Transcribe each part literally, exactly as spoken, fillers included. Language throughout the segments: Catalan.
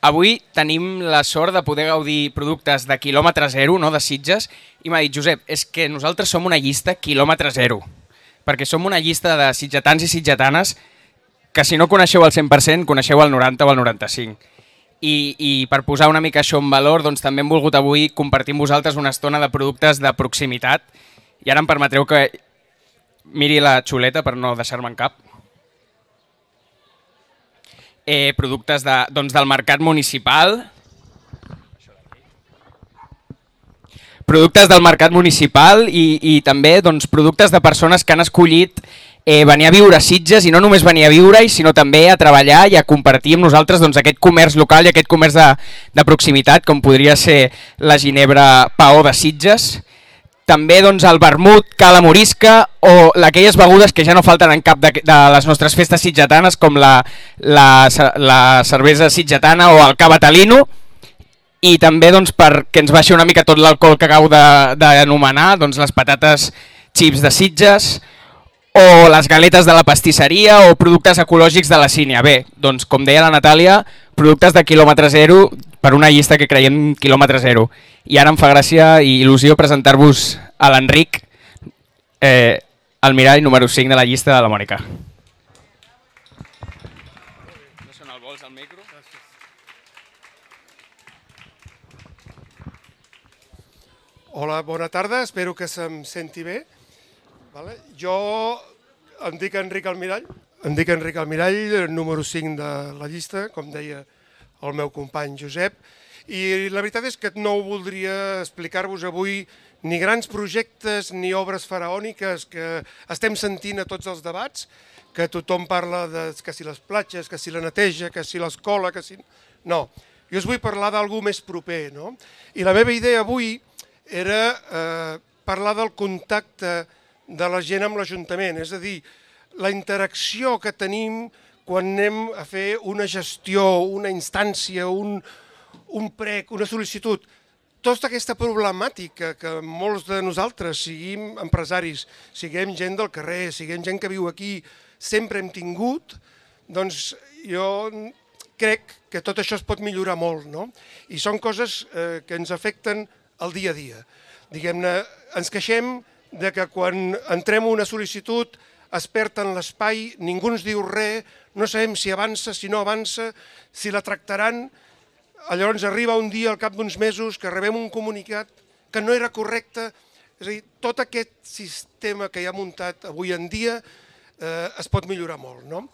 avui tenim la sort de poder gaudir productes de quilòmetre zero, no de Sitges, i m'ha dit, Josep, és que nosaltres som una llista quilòmetre zero, perquè som una llista de sitgetans i sitgetanes que si no coneixeu el cent per cent, coneixeu el noranta o el noranta-cinc. I, i per posar una mica això en valor, doncs també hem volgut avui compartir amb vosaltres una estona de productes de proximitat, i ara em permetreu que miri la xuleta per no deixar-me en cap. Eh, productes de, doncs, del mercat municipal. Productes del mercat municipal i, i també doncs, productes de persones que han escollit eh, venir a viure a Sitges i no només venir a viure-hi, sinó també a treballar i a compartir amb nosaltres doncs, aquest comerç local i aquest comerç de, de proximitat, com podria ser la Ginebra Paó de Sitges. També doncs, el vermut, cala morisca o aquelles begudes que ja no falten en cap de, de les nostres festes sitgetanes, com la, la, la cervesa sitgetana o el cava talino. I també doncs, perquè ens baixi una mica tot l'alcohol que acabo d'anomenar, doncs, les patates xips de Sitges o les galetes de la pastisseria o productes ecològics de la Sínia. Bé, doncs, com deia la Natàlia, productes de quilòmetre zero per una llista que creiem quilòmetre zero. I ara em fa gràcia i il·lusió presentar-vos a l'Enric, eh, el mirall número cinc de la llista de la Mònica. No sona el vols al micro? Hola, bona tarda, espero que se'm senti bé. Vale. Jo em dic Enric Almirall, em dic Enric Almirall, número cinc de la llista, com deia el meu company Josep, i la veritat és que no voldria explicar-vos avui ni grans projectes ni obres faraòniques que estem sentint a tots els debats, que tothom parla de que si les platges, que si la neteja, que si l'escola, que si... No, jo us vull parlar d'algú més proper, no? I la meva idea avui era eh, parlar del contacte de la gent amb l'Ajuntament, és a dir, la interacció que tenim quan anem a fer una gestió, una instància, un, un prec, una sol·licitud. Tota aquesta problemàtica que molts de nosaltres, siguem empresaris, siguem gent del carrer, siguem gent que viu aquí, sempre hem tingut, doncs jo crec que tot això es pot millorar molt, no? I són coses eh, que ens afecten el dia a dia. Diguem-ne, ens queixem de que quan entrem una sol·licitud es perd en l'espai, ningú ens diu res, no sabem si avança, si no avança, si la tractaran. Llavors arriba un dia, al cap d'uns mesos, que rebem un comunicat que no era correcte. És a dir, tot aquest sistema que hi ha muntat avui en dia eh, es pot millorar molt, no?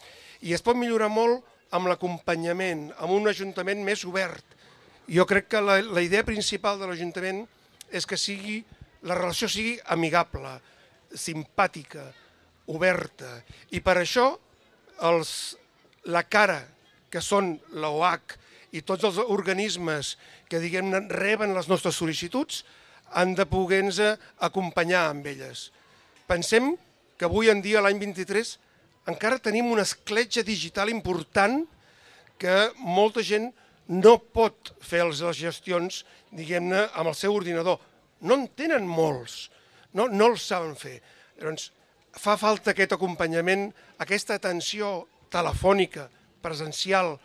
I es pot millorar molt amb l'acompanyament, amb un ajuntament més obert. Jo crec que la, la idea principal de l'Ajuntament és que sigui, la relació sigui amigable, simpàtica, oberta. I per això els, la cara que són l'O H i tots els organismes que diguem-ne reben les nostres sol·licituds han de poder-nos acompanyar amb elles. Pensem que avui en dia, l'any vint-i-tres, encara tenim una escletxa digital important que molta gent no pot fer les gestions, diguem-ne, amb el seu ordinador. No en tenen molts, no, no els saben fer. Llavors, fa falta aquest acompanyament, aquesta atenció telefònica, presencial,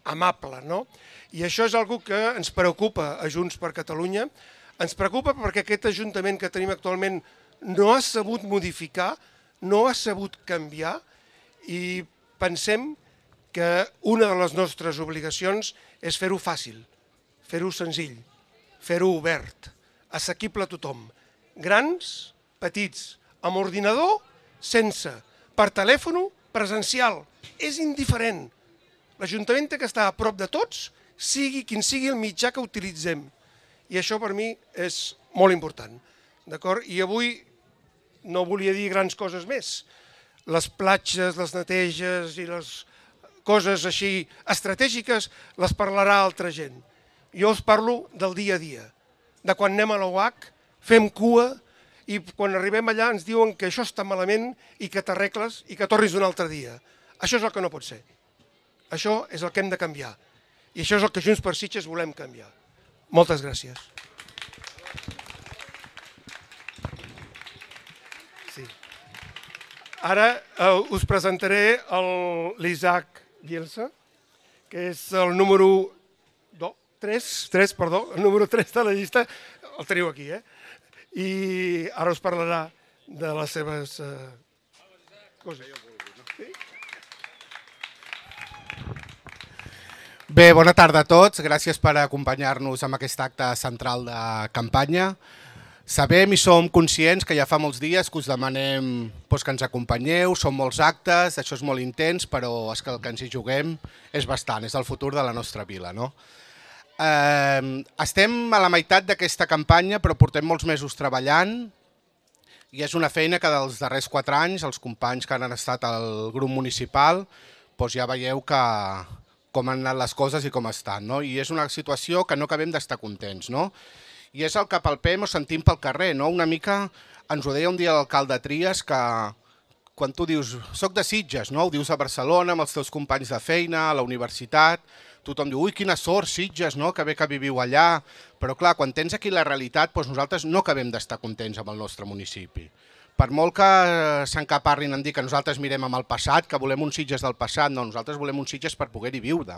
amable, no? I això és una cosa que ens preocupa a Junts per Catalunya. Ens preocupa perquè aquest ajuntament que tenim actualment no ha sabut modificar, no ha sabut canviar i pensem que una de les nostres obligacions és fer-ho fàcil, fer-ho senzill, fer-ho obert, assequible a tothom. Grans, petits, amb ordinador, sense, per telèfon, presencial. És indiferent. L'Ajuntament té que estar a prop de tots, sigui quin sigui el mitjà que utilitzem. I això per mi és molt important. D'acord? I avui no volia dir grans coses més. Les platges, les neteges i les coses així estratègiques les parlarà altra gent. Jo us parlo del dia a dia, de quan anem a l'O H, fem cua i quan arribem allà ens diuen que això està malament i que t'arregles i que tornis un altre dia. Això és el que no pot ser. Això és el que hem de canviar. I això és el que Junts per Sitges volem canviar. Moltes gràcies. Sí. Ara eh, us presentaré l'Isaac Bielsa, que és el número tres, tres, perdó, el número tres de la llista, el teniu aquí, eh? I ara us parlarà de les seves eh, coses. Bé, bona tarda a tots. Gràcies per acompanyar-nos en aquest acte central de campanya. Sabem i som conscients que ja fa molts dies que us demanem doncs, que ens acompanyeu, són molts actes, això és molt intens, però és que el que ens hi juguem és bastant, és el futur de la nostra vila. No? Eh, estem a la meitat d'aquesta campanya, però portem molts mesos treballant i és una feina que dels darrers quatre anys els companys que han estat al grup municipal doncs ja veieu que com han anat les coses i com estan. No? I és una situació que no acabem d'estar contents. No? I és el que palpem o sentim pel carrer. No? Una mica ens ho deia un dia l'alcalde Trias que quan tu dius soc de Sitges, no? Ho dius a Barcelona amb els teus companys de feina, a la universitat, tothom diu ui quina sort Sitges, no? Que bé que viviu allà, però clar, quan tens aquí la realitat doncs nosaltres no acabem d'estar contents amb el nostre municipi. Per molt que s'encaparrin en dir que nosaltres mirem amb el passat, que volem uns Sitges del passat, no, nosaltres volem uns Sitges per poder-hi viure,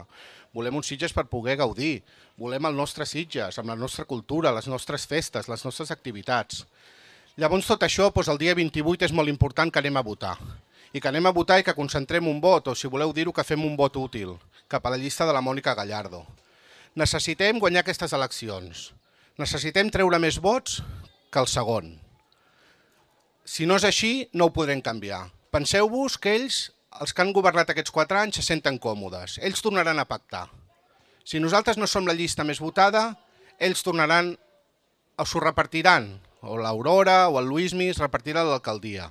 volem uns Sitges per poder gaudir, volem el nostre Sitges, amb la nostra cultura, les nostres festes, les nostres activitats. Llavors tot això, doncs, el dia vint-i-vuit és molt important que anem a votar, i que anem a votar i que concentrem un vot, o si voleu dir-ho, que fem un vot útil, cap a la llista de la Mònica Gallardo. Necessitem guanyar aquestes eleccions, necessitem treure més vots que el segon. Si no és així, no ho podrem canviar. Penseu-vos que ells, els que han governat aquests quatre anys, se senten còmodes. Ells tornaran a pactar. Si nosaltres no som la llista més votada, ells tornaran, o s'ho repartiran, o l'Aurora o el Luismi es repartirà a l'alcaldia.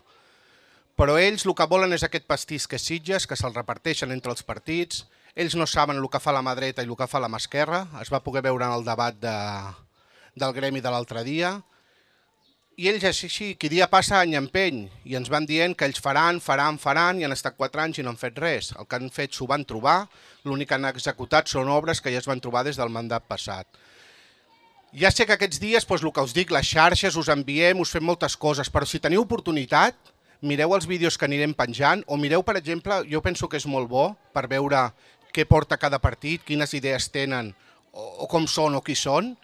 Però ells el que volen és aquest pastís que és Sitges, que se'l reparteixen entre els partits. Ells no saben el que fa la mà dreta i el que fa la mà esquerra. Es va poder veure en el debat de, del gremi de l'altre dia. I ells així, qui dia passa any empeny, i ens van dient que ells faran, faran, faran, i han estat quatre anys i no han fet res. El que han fet s'ho van trobar, l'únic que han executat són obres que ja es van trobar des del mandat passat. Ja sé que aquests dies, doncs, el que us dic, les xarxes, us enviem, us fem moltes coses, però si teniu oportunitat, mireu els vídeos que anirem penjant, o mireu, per exemple, jo penso que és molt bo per veure què porta cada partit, quines idees tenen, o, o com són o qui són,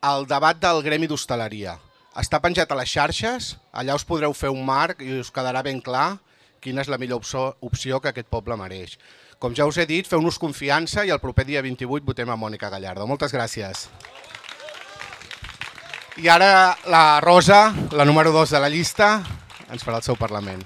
el debat del gremi d'hostaleria. Està penjat a les xarxes, allà us podreu fer un marc i us quedarà ben clar quina és la millor opció que aquest poble mereix. Com ja us he dit, feu-nos confiança i el proper dia vint-i-vuit votem a Mònica Gallardo. Moltes gràcies. I ara la Rosa, la número dos de la llista, ens farà el seu parlament.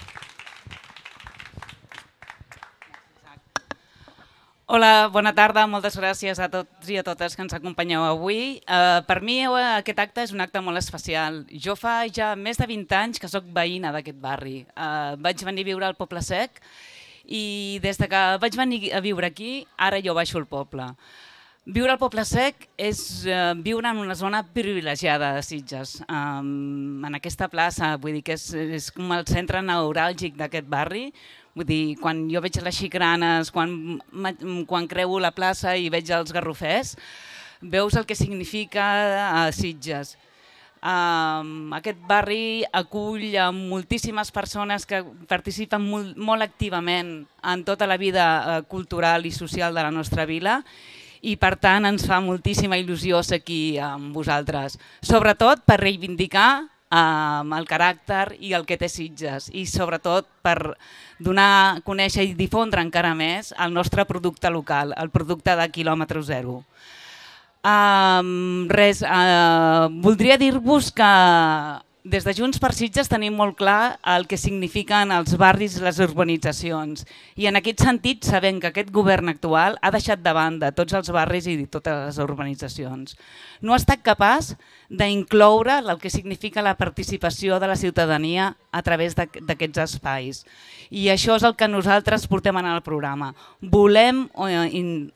Hola, bona tarda, moltes gràcies a tots i a totes que ens acompanyeu avui. Uh, per mi aquest acte és un acte molt especial. Jo fa ja més de vint anys que sóc veïna d'aquest barri. Uh, vaig venir a viure al Poble Sec i des de que vaig venir a viure aquí, ara jo baixo al poble. Viure al Poble Sec és uh, viure en una zona privilegiada de Sitges. Um, en aquesta plaça, vull dir que és, és com el centre neuràlgic d'aquest barri. Vull dir, quan jo veig les xicranes, quan, quan creuo la plaça i veig els garrofers, veus el que significa a Sitges. Um, aquest barri acull a moltíssimes persones que participen molt, molt activament en tota la vida uh, cultural i social de la nostra vila i per tant ens fa moltíssima il·lusió ser aquí amb vosaltres. Sobretot per reivindicar um, el caràcter i el que té Sitges i sobretot per donar a conèixer i difondre encara més el nostre producte local, el producte de quilòmetre zero. Um, res, uh, voldria dir-vos que des de Junts per Sitges tenim molt clar el que signifiquen els barris i les urbanitzacions i en aquest sentit sabem que aquest govern actual ha deixat de banda tots els barris i totes les urbanitzacions. No ha estat capaç d'incloure el que significa la participació de la ciutadania a través d'aquests espais i això és el que nosaltres portem en el programa. Volem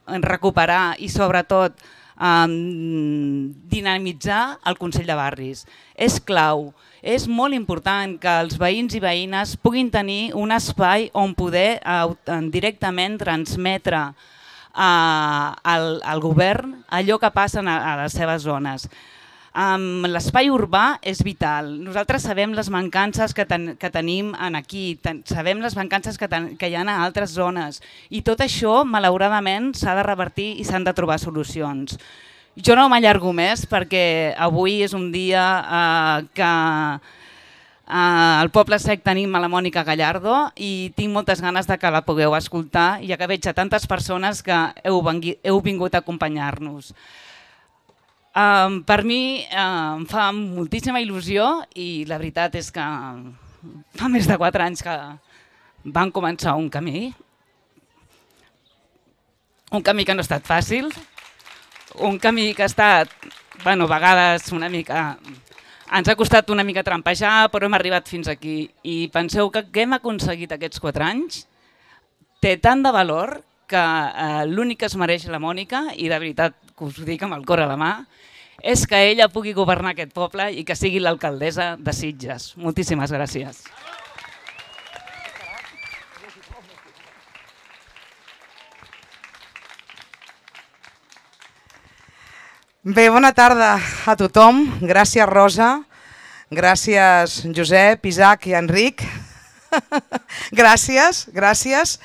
recuperar i sobretot Um, dinamitzar el Consell de Barris. És clau, és molt important que els veïns i veïnes puguin tenir un espai on poder uh, directament transmetre uh, al, al govern allò que passa a, a les seves zones. Um, l'espai urbà és vital. Nosaltres sabem les mancances que, ten, que tenim en aquí, ten, sabem les mancances que, ten, que hi ha a altres zones i tot això, malauradament, s'ha de revertir i s'han de trobar solucions. Jo no m'allargo més perquè avui és un dia eh, que eh, al Poble Sec tenim a la Mònica Gallardo i tinc moltes ganes de que la pugueu escoltar, ja que veig a tantes persones que heu, vengui, heu vingut a acompanyar-nos. Um, per mi uh, em fa moltíssima il·lusió i la veritat és que fa més de quatre anys que van començar un camí, un camí que no ha estat fàcil, un camí que ha estat, bueno, a vegades una mica, ens ha costat una mica trampejar, però hem arribat fins aquí. I penseu que què hem aconseguit aquests quatre anys té tant de valor que eh, l'únic que es mereix la Mònica, i de veritat que us ho dic amb el cor a la mà, és que ella pugui governar aquest poble i que sigui l'alcaldessa de Sitges. Moltíssimes gràcies. Bé, bona tarda a tothom. Gràcies, Rosa. Gràcies, Josep, Isaac i Enric. Gràcies, gràcies.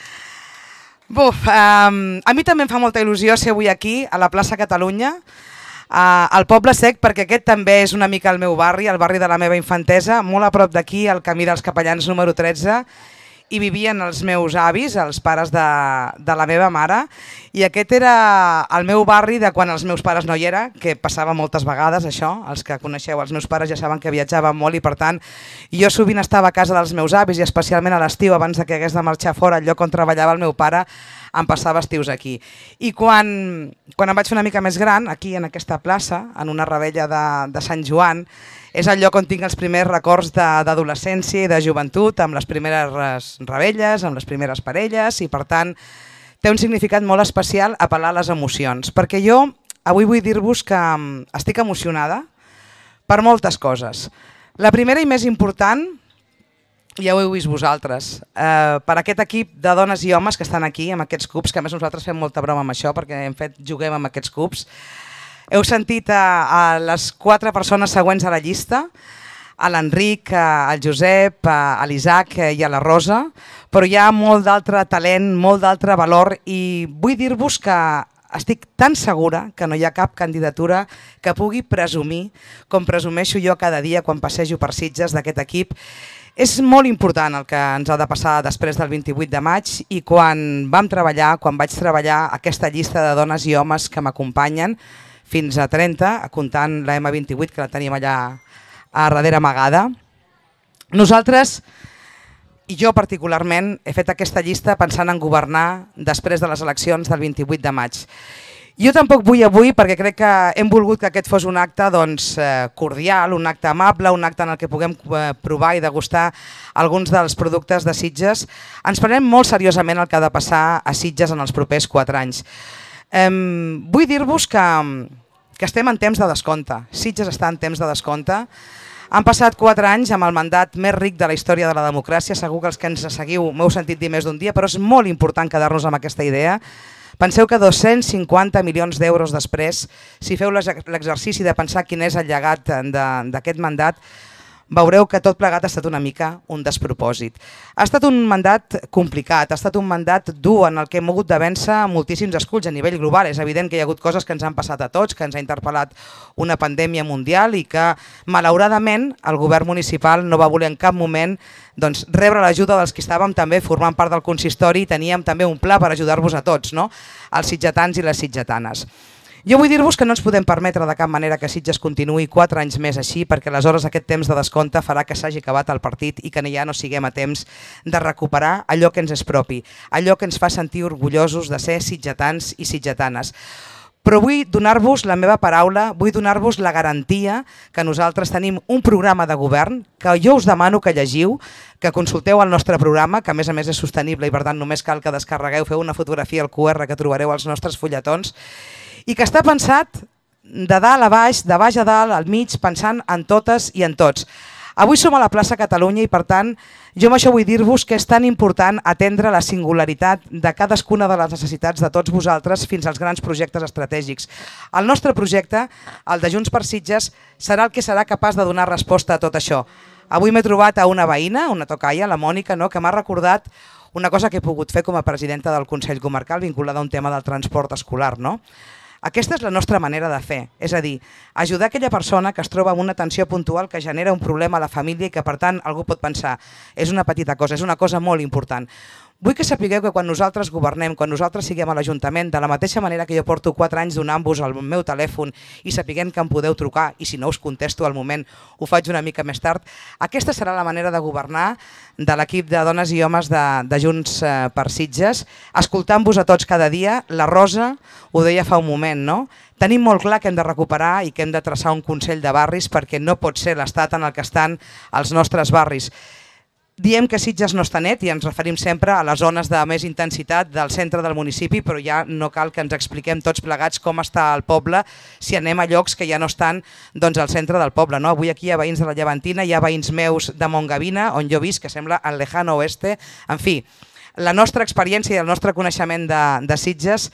Buf, um, a mi també em fa molta il·lusió ser avui aquí, a la plaça Catalunya, uh, al Poble Sec, perquè aquest també és una mica el meu barri, el barri de la meva infantesa, molt a prop d'aquí, al camí dels Capellans número tretze, i vivien els meus avis, els pares de, de la meva mare, i aquest era el meu barri de quan els meus pares no hi era, que passava moltes vegades això, els que coneixeu els meus pares ja saben que viatjaven molt i per tant jo sovint estava a casa dels meus avis i especialment a l'estiu abans de que hagués de marxar fora al lloc on treballava el meu pare em passava estius aquí. I quan, quan em vaig fer una mica més gran, aquí en aquesta plaça, en una rebella de, de Sant Joan, és el lloc on tinc els primers records d'adolescència i de joventut, amb les primeres rebelles, amb les primeres parelles, i per tant té un significat molt especial apel·lar a les emocions. Perquè jo avui vull dir-vos que estic emocionada per moltes coses. La primera i més important, ja ho heu vist vosaltres, eh, per aquest equip de dones i homes que estan aquí, amb aquests cubs, que a més nosaltres fem molta broma amb això, perquè hem fet, juguem amb aquests cubs. Heu sentit a, a les quatre persones següents a la llista, a l'Enric, al Josep, a l'Isaac i a la Rosa, però hi ha molt d'altre talent, molt d'altre valor i vull dir-vos que estic tan segura que no hi ha cap candidatura que pugui presumir, com presumeixo jo cada dia quan passejo per Sitges d'aquest equip. És molt important el que ens ha de passar després del vint-i-vuit de maig i quan vam treballar, quan vaig treballar aquesta llista de dones i homes que m'acompanyen, fins a trenta, comptant la ema vint-i-vuit, que la tenim allà a darrere amagada. Nosaltres, i jo particularment, he fet aquesta llista pensant en governar després de les eleccions del vint-i-vuit de maig. Jo tampoc vull avui, perquè crec que hem volgut que aquest fos un acte doncs, cordial, un acte amable, un acte en el que puguem provar i degustar alguns dels productes de Sitges. Ens prenem molt seriosament el que ha de passar a Sitges en els propers quatre anys. Um, vull dir-vos que, que estem en temps de descompte. Sitges està en temps de descompte. Han passat quatre anys amb el mandat més ric de la història de la democràcia. Segur que els que ens seguiu m'heu sentit dir més d'un dia, però és molt important quedar-nos amb aquesta idea. Penseu que dos-cents cinquanta milions d'euros després, si feu l'exercici de pensar quin és el llegat d'aquest mandat, veureu que tot plegat ha estat una mica un despropòsit. Ha estat un mandat complicat, ha estat un mandat dur en el que hem hagut de vèncer moltíssims esculls a nivell global. És evident que hi ha hagut coses que ens han passat a tots, que ens ha interpel·lat una pandèmia mundial i que, malauradament, el govern municipal no va voler en cap moment doncs, rebre l'ajuda dels que estàvem també formant part del consistori i teníem també un pla per ajudar-vos a tots, no? Els sitgetans i les sitgetanes. Jo vull dir-vos que no ens podem permetre de cap manera que Sitges continuï quatre anys més així, perquè aleshores aquest temps de descompte farà que s'hagi acabat el partit i que ja no siguem a temps de recuperar allò que ens és propi, allò que ens fa sentir orgullosos de ser sitgetans i sitgetanes. Però vull donar-vos la meva paraula, vull donar-vos la garantia que nosaltres tenim un programa de govern que jo us demano que llegiu, que consulteu el nostre programa, que a més a més és sostenible i per tant només cal que descarregueu, feu una fotografia al cu erre que trobareu als nostres fulletons, i que està pensat de dalt a baix, de baix a dalt, al mig, pensant en totes i en tots. Avui som a la plaça Catalunya i per tant jo amb això vull dir-vos que és tan important atendre la singularitat de cadascuna de les necessitats de tots vosaltres fins als grans projectes estratègics. El nostre projecte, el de Junts per Sitges, serà el que serà capaç de donar resposta a tot això. Avui m'he trobat a una veïna, una tocaia, la Mònica, no?, que m'ha recordat una cosa que he pogut fer com a presidenta del Consell Comarcal vinculada a un tema del transport escolar. No? Aquesta és la nostra manera de fer, és a dir, ajudar aquella persona que es troba amb una tensió puntual que genera un problema a la família i que per tant algú pot pensar és una petita cosa, és una cosa molt important. Vull que sapigueu que quan nosaltres governem, quan nosaltres siguem a l'Ajuntament, de la mateixa manera que jo porto quatre anys donant-vos el meu telèfon i sapiguem que em podeu trucar i si no us contesto al moment ho faig una mica més tard, aquesta serà la manera de governar de l'equip de dones i homes de, de Junts per Sitges, escoltant-vos a tots cada dia. La Rosa ho deia fa un moment, no? Tenim molt clar que hem de recuperar i que hem de traçar un Consell de Barris perquè no pot ser l'estat en el que estan els nostres barris. Diem que Sitges no està net i ens referim sempre a les zones de més intensitat del centre del municipi, però ja no cal que ens expliquem tots plegats com està el poble si anem a llocs que ja no estan doncs, al centre del poble. No? Avui aquí hi ha veïns de la Llevantina, hi ha veïns meus de Montgavina, on jo visc, que sembla el lejano oeste. En fi, la nostra experiència i el nostre coneixement de, de Sitges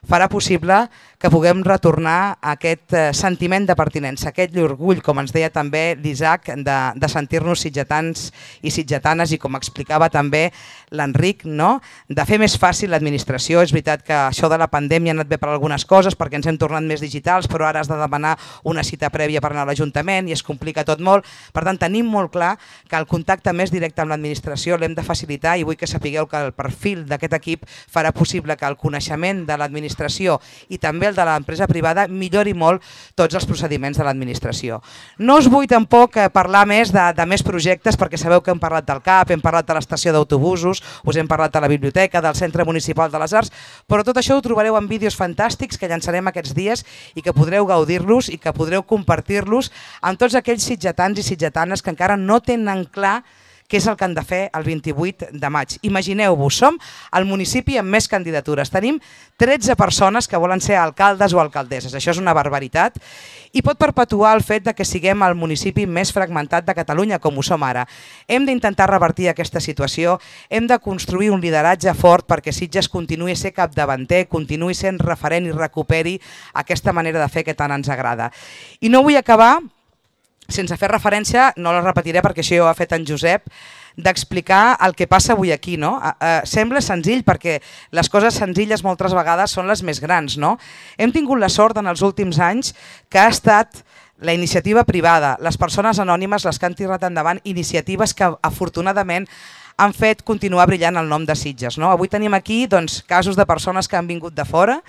farà possible que puguem retornar a aquest sentiment de pertinença, aquest orgull, com ens deia també l'Isaac, de, de sentir-nos sitgetans i sitgetanes i com explicava també l'Enric, no? De fer més fàcil l'administració. És veritat que això de la pandèmia ha anat bé per algunes coses perquè ens hem tornat més digitals, però ara has de demanar una cita prèvia per anar a l'Ajuntament i es complica tot molt. Per tant, tenim molt clar que el contacte més directe amb l'administració l'hem de facilitar i vull que sapigueu que el perfil d'aquest equip farà possible que el coneixement de l'administració i també el de l'empresa privada millori molt tots els procediments de l'administració. No us vull tampoc parlar més de, de més projectes perquè sabeu que hem parlat del C A P, hem parlat de l'estació d'autobusos, us hem parlat de la biblioteca, del Centre Municipal de les Arts, però tot això ho trobareu en vídeos fantàstics que llançarem aquests dies i que podreu gaudir-los i que podreu compartir-los amb tots aquells sitgetans i sitgetanes que encara no tenen clar què és el que han de fer el vint-i-vuit de maig. Imagineu-vos, som el municipi amb més candidatures. Tenim tretze persones que volen ser alcaldes o alcaldesses. Això és una barbaritat i pot perpetuar el fet de que siguem el municipi més fragmentat de Catalunya, com ho som ara. Hem d'intentar revertir aquesta situació, hem de construir un lideratge fort perquè Sitges continuï a ser capdavanter, continuï sent referent i recuperi aquesta manera de fer que tant ens agrada. I no vull acabar sense fer referència, no la repetiré perquè això ja ho ha fet en Josep, d'explicar el que passa avui aquí. No? Eh, sembla senzill perquè les coses senzilles moltes vegades són les més grans. No? Hem tingut la sort en els últims anys que ha estat la iniciativa privada, les persones anònimes les que han tirat endavant iniciatives que afortunadament han fet continuar brillant el nom de Sitges. No? Avui tenim aquí doncs, casos de persones que han vingut de fora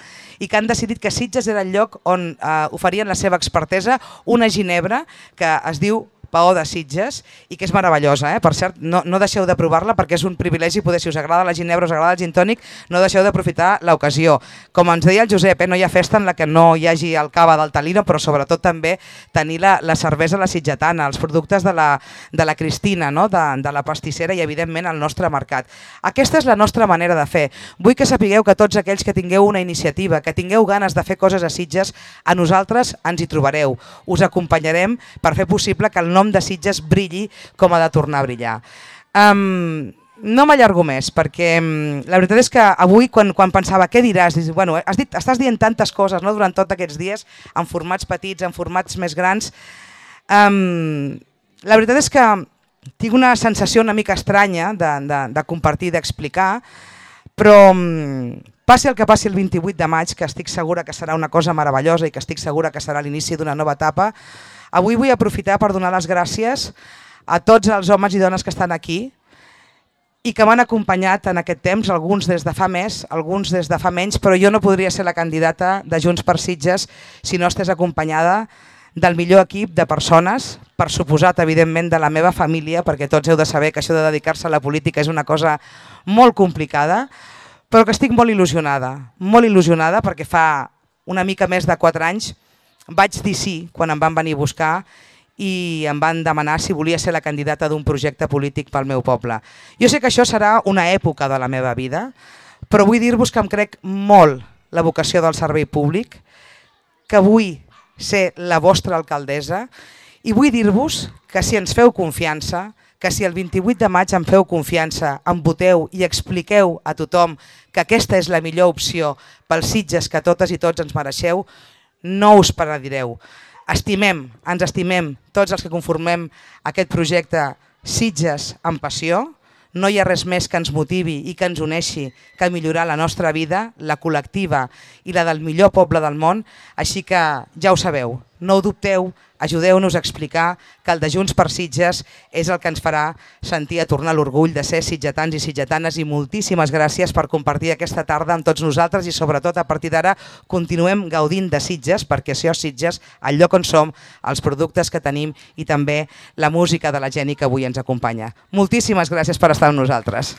i que han decidit que Sitges era el lloc on eh, oferien la seva expertesa, una ginebra que es diu Paó de Sitges i que és meravellosa. Eh? Per cert, no, no deixeu de provar-la perquè és un privilegi poder, si us agrada la ginebra, us agrada el gin tònic, no deixeu d'aprofitar l'ocasió. Com ens deia el Josep, eh? no hi ha festa en la que no hi hagi el cava del Talino, però sobretot també tenir la, la cervesa la sitgetana, els productes de la, de la Cristina, no? de, de la pastissera i evidentment el nostre mercat. Aquesta és la nostra manera de fer. Vull que sapigueu que tots aquells que tingueu una iniciativa, que tingueu ganes de fer coses a Sitges, a nosaltres ens hi trobareu. Us acompanyarem per fer possible que el nom de Sitges brilli com ha de tornar a brillar. Um, no m'allargo més perquè um, la veritat és que avui quan, quan pensava què diràs, dius, bueno, has dit, estàs dient tantes coses, no, durant tots aquests dies, en formats petits, en formats més grans. Um, la veritat és que tinc una sensació una mica estranya de, de, de compartir, d'explicar, però um, passi el que passi el vint-i-vuit de maig, que estic segura que serà una cosa meravellosa i que estic segura que serà l'inici d'una nova etapa, avui vull aprofitar per donar les gràcies a tots els homes i dones que estan aquí i que m'han acompanyat en aquest temps, alguns des de fa més, alguns des de fa menys, però jo no podria ser la candidata de Junts per Sitges si no estés acompanyada del millor equip de persones, per suposat, evidentment, de la meva família, perquè tots heu de saber que això de dedicar-se a la política és una cosa molt complicada, però que estic molt il·lusionada, molt il·lusionada perquè fa una mica més de quatre anys vaig dir sí quan em van venir a buscar i em van demanar si volia ser la candidata d'un projecte polític pel meu poble. Jo sé que això serà una època de la meva vida, però vull dir-vos que em crec molt la vocació del servei públic, que vull ser la vostra alcaldessa i vull dir-vos que si ens feu confiança, que si el vint-i-vuit de maig em feu confiança, em voteu i expliqueu a tothom que aquesta és la millor opció pels Sitges que totes i tots ens mereixeu, no us penedireu. Estimem, ens estimem tots els que conformem aquest projecte Sitges amb passió, no hi ha res més que ens motivi i que ens uneixi que millorar la nostra vida, la col·lectiva i la del millor poble del món, així que ja ho sabeu, no ho dubteu, ajudeu-nos a explicar que el de Junts per Sitges és el que ens farà sentir a tornar l'orgull de ser sitgetans i sitgetanes, i moltíssimes gràcies per compartir aquesta tarda amb tots nosaltres i sobretot a partir d'ara continuem gaudint de Sitges, perquè això és Sitges, el lloc on som, els productes que tenim i també la música de la Jenny que avui ens acompanya. Moltíssimes gràcies per estar amb nosaltres.